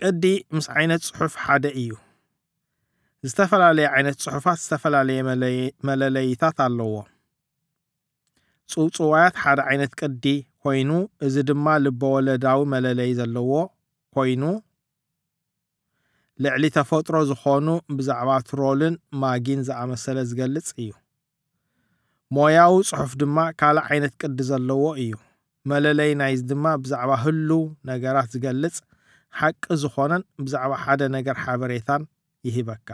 ቅዲ ምስ ዓይነት ጽሑፍ ሓደ እዩ። ዝተፈላለየ ዓይነት ጽሑፋት ዝተፈላለየ መለለይታት ኣለዎ። ጽውጽዋያት ሓደ ዓይነት ቅዲ ኮይኑ፣ እዚ ድማ ልበወለዳዊ መለለይ ዘለዎ ኮይኑ፣ ልዕሊ ተፈጥሮ ዝኾኑ ብዛዕባ ትሮልን ማጊን ዝኣመሰለ ዝገልጽ እዩ። ሞያዊ ጽሑፍ ድማ ካልእ ዓይነት ቅዲ ዘለዎ እዩ። መለለይ ናይዚ ድማ ብዛዕባ ህሉው ነገራት ዝገልጽ ሓቂ ዝኾነን ብዛዕባ ሓደ ነገር ሓበሬታን ይህበካ።